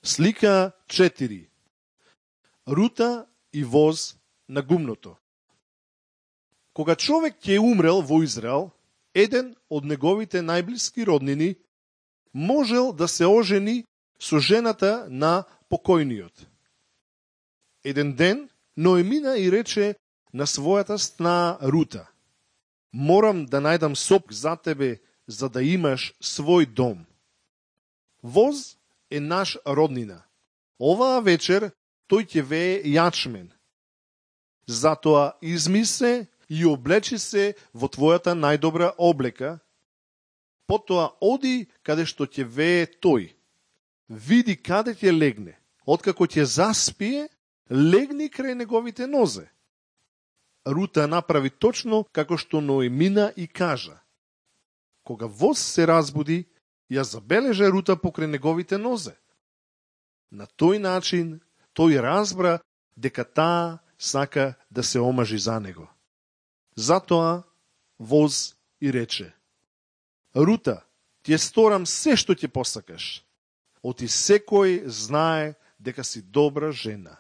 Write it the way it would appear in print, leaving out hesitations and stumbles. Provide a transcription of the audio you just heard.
Слика 4. Рута и воз на гумното. Кога човек ќе умрел во Израел, еден од неговите најблиски роднини можел да се ожени со жената на покојниот. Еден ден Ноемина и рече на својата сна Рута: морам да најдам сопк за тебе, за да имаш свој дом. Воз е наш роднина. Оваа вечер тој ќе вее јачмен. Затоа изми се и облечи се во твојата најдобра облека, потоа оди каде што ќе вее тој. Види каде ќе легне. Откако ќе заспие, легни крај неговите нозе. Рута направи точно како што Ноемина и кажа. Кога воз се разбуди, ја забележа Рута покрај неговите нозе. На тој начин тој разбра дека таа сака да се омажи за него. Затоа воз и рече: Рута, ти ја сторам се што ќе посакаш. Оти секој знае дека си добра жена.